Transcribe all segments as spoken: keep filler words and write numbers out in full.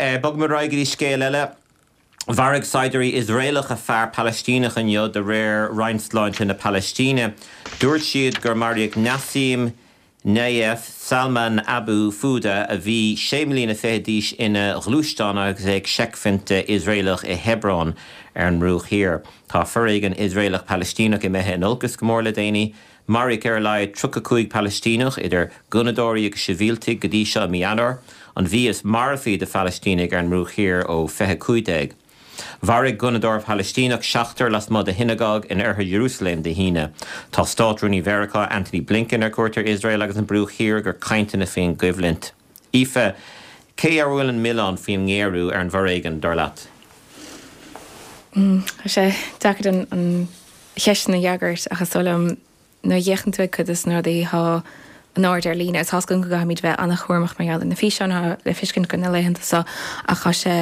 Bogfaidh muid ar aghaidh go dtí scéal eile. Mharaigh saighdiúirí Iosraelacha fear Palaistíneach inniu de réir Roinn Sláinte na Palaistíne. Dúirt siad gur maraíodh Nassim Nayef Salman Abu Fuda a bhí sé bliana fiche d'aois ina ghluaisteán agus é ag seicphointe Iosraelach i Hebron ar an mBruach Thiar. Tá foréigean Iosraelach Palaistíneach imithe in olcas go mór le déanaí. Maraíodh ar a laghad tríocha cúig Palaistíneach idir gunnadóirí agus sibhialtaigh go dtí seo i mí Eanáir, an mhí is marfaí do Phalaistínigh ar an mBruach Thiar ó fiche cúig déag. Mharaigh gunnadóir Palaistíneach seachtar lasmuigh de shionagóg in oirthear Iarúsailéim Dé hAoine. Tá Státrúnaí Mheiriceá Antony Blinken ar cuairt ar Iosrael agus an Bruach Thiar do chainteanna faoin gcoimhlint. Aoife, cé ar bhfuil an milleán faoin ngéarú ar an bhforéigean dar leat? Tá sé deacair an an cheist a fhreagairt ach is dóigh liom nuair a fhéachann tú ag cuid de na rudaí atá in airde ar líne tá go gcaithfimid bheith an-chúramach mar gheall ar na físeáin le feiscint go na laethanta seo ach tá sé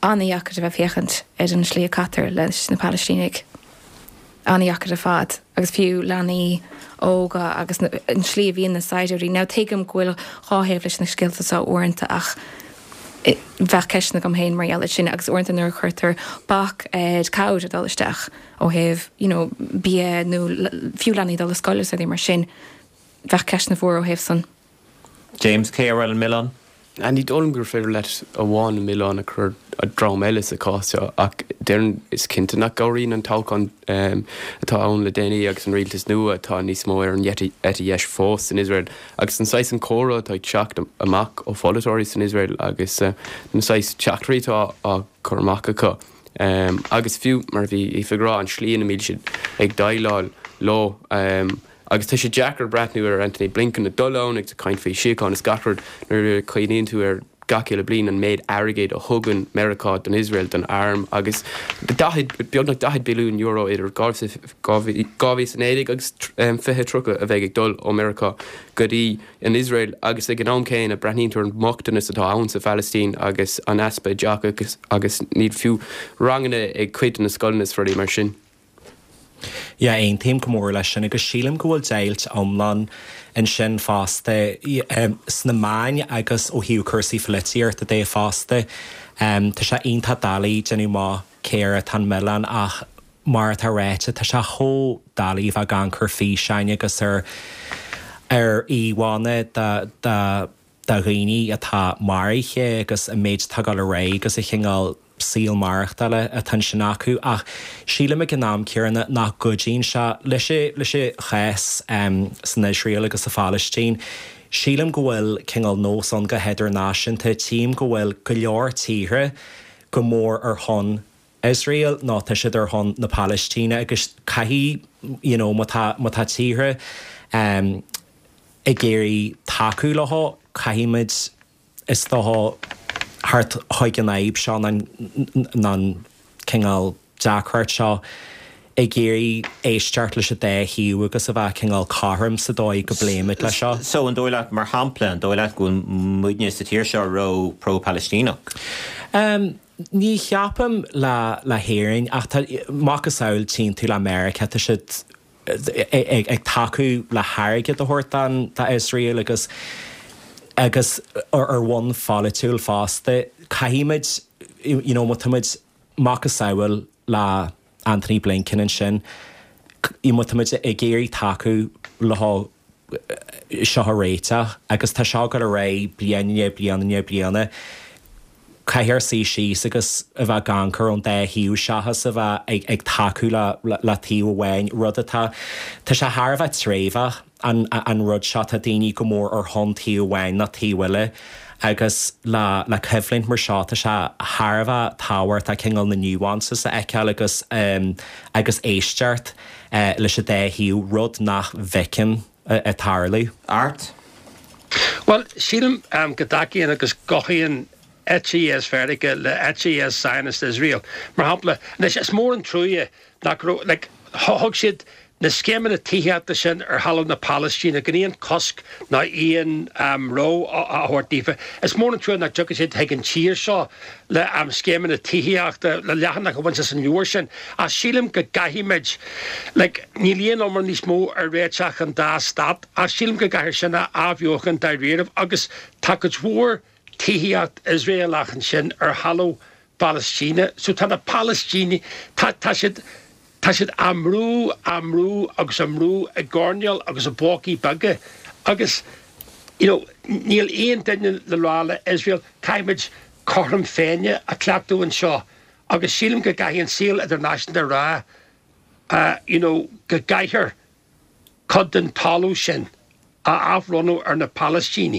an-deacair a bheith féachaint ar an slí a caitear leis na Palaistínigh. An-deacair ar fad agus fiú leanaí óga agus an slí a bhíonn na saighdiúirí. Now tuigim go bhfuil dhá thaobh leis na scéalta seo uaireanta ach bheadh ceisteanna agam féin mar gheall sin agus uaireanta nuair a chuirtear bac ar cabhair a dul isteach ó thaobh you know, bia nó fiú leanaí dul ar scoil is mar sin bheadh ceisteanna mhóra ó thaobh san. James cé ar an milleán? Ní dóigh liom gur féidir leat amháin an milleán a chur ar dhream eile sa chás seo ach déarfainn is cinnte nach gcabhraíonn an toghchán um, atá ann le déanaí agus an rialtas nua atá níos mó ar an eite dheis fós san Iosrael agus an saghas an comhrá atá ag teacht amach ó pholaiteoirí san Iosrael agus uh, na saghas teachtaireachtaí atá á chur amach acu. Um, agus fiú mar bhí ag rá an slí ina mbíonn siad ag déileáil leo um, agus tá sé deacair breathnú ar Antony Blinken ag dul ann ag caint faoi síocháin is gach rud nuair a chuimhníonn tú ar gach uile bliain an méid airgid a thugann Meiriceá don Iosrael don arm agus daichead beagnach daichead billiún euro idir dhá mhíle agus fiche tríocha a bheidh ag dul ó Meiriceá go dtí an Iosrael agus ag an am céanna breathnaíonn tú ar an mbochtanas atá ann sa Phalaistín agus an easpa oideachais agus níl fiú ranganna ag cuid na scoileanna is rudaí mar sin. Ja aontaím go mór leis sin agus sílim go bhfuil deighilt iomlán ansin fosta sna meáin agus ó thaobh cúrsaí polaitíochta de fosta. Um, tá sé iontach doiligh déanamh amach cé air atá an milleán ach mar atá ráite tá sé chomh doiligh bheith ag amharc ar físeáin agus ar ar íomhánna de de de dhaoine atá maraithe agus an méid atá ag dul ar aghaidh agus a chineál saol maireachtála atá sin acu ach sílim ag an am céanna nach gcuidíonn sé leis leis an chás um, san Iosrael agus sa Phalaistín. Sílim go bhfuil cineál nós ann go hidirnáisiúnta tím go bhfuil go leor tíortha go mór ar son Israel ná tá siad ar son na Palaistíne agus caithfidh you know, má tá tíortha um, ag iarraidh tacú leo caithfimid is dócha teacht chuig an fhadhb seo an cineál deacracht seo ag iarraidh éisteacht leis an dá thaobh agus a bheith cineál cothrom sa dóigh go bpléimid le seo. So an dóigh leat mar shampla an dóigh leat go bhfuil muidne sa tír seo ró pro-Palestíneach. Um, ní cheapaim le le hÉirinn ach macasamhail tchíonn tú le Meiriceá tá siad ag, ag tacú le hairgead a thabhairt don Iosrael agus agus ar ar bhonn pholaitiúil fosta caithfimid you know, má táimid macasamhail le Antony Blinken ansin má táimid ag iarraidh tacú le seo a réiteach agus tá seo go ré bliana bliana bliana caithfear suí síos agus a bheith ag amharc ón dá thaobh seachas a bheith ag, ag tacú le, le, le taobh amháin rud atá Tá sé thar a bheith tréimheach an, an rud seo tá daoine go mór ar son taobh amháin ná taobh eile agus le le coimhlint mar seo tá sé thar a bheith tábhachtach cineál na nuances a fheiceáil agus um, agus éisteacht uh, leis an dá thaobh rud nach bhfeicim uh, ag tarlú. Art? Well, sílim um, go dtacaíonn agus gothaíonn eite dheis Mheiriceá le eite dheis Zionist Israel. Mar shampla, anois is mór an trua nach like, thug siad na scéimeanna tithíochta sin ar thalamh na Palaistíne gan aon cosc ná aon um, ró a thabhairt daofa. Is mór an trua nach dtiocfaidh siad chuig an tír seo le um, scéimeanna tithíochta le leathanach a bhaint as an leabhar sin. A sílim go gcaithfimid like, níl aon iomrá níos mó ar réiteach an dá stát, a sílim go gcaithfear sin a athbheochan dáiríre agus tá cuid mhór tithíocht Iosraelach ansin ar thalamh Phalaistíne. So tá na Palaistínigh, tá tá siad tá siad á mbrú, á mbrú agus á mbrú i gcoirnéil agus i bpócaí beaga agus you know níl aon duine le rá le Iosrael caithfimid cothrom Féinne a chleachtadh anseo agus sílim go gcaithfidh an saol idirnáisiúnta a rá uh, you know, go gcaithfear cuid den talamh sin a athbhronnadh ar na Palaistínigh.